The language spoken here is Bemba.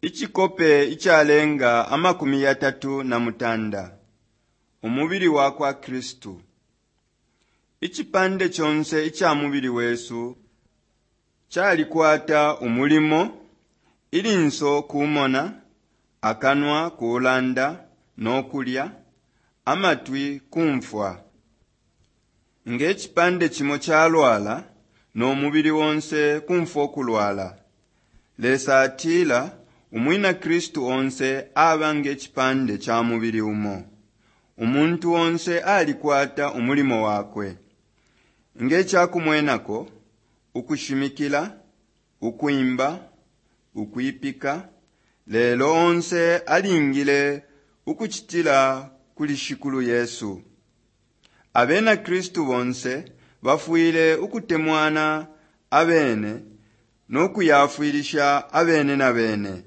Icikope icalenga 38 Umubili wakwa Kristu. Icipande conse ica mubili wesu calikwata umulimo, ilinso kumona, akanwa kulanda no kulya, amatwi kumfwa. Nge cipande cimo calwala, no mubili onse kumfwa ukulwala. Lesa atila umwina Kristu onse aba nge cipande ca mubili umo. Umuntu onse alikwata umulimo wakwe. Nge ca kumwenako, ukushimikila, ukwimba, ukwipika, lelo onse alingile ukucitila kuli Shikulu Yesu. Abena Kristu bonse bafwile ukutemwana abene no kuyafwilisha abene na bene.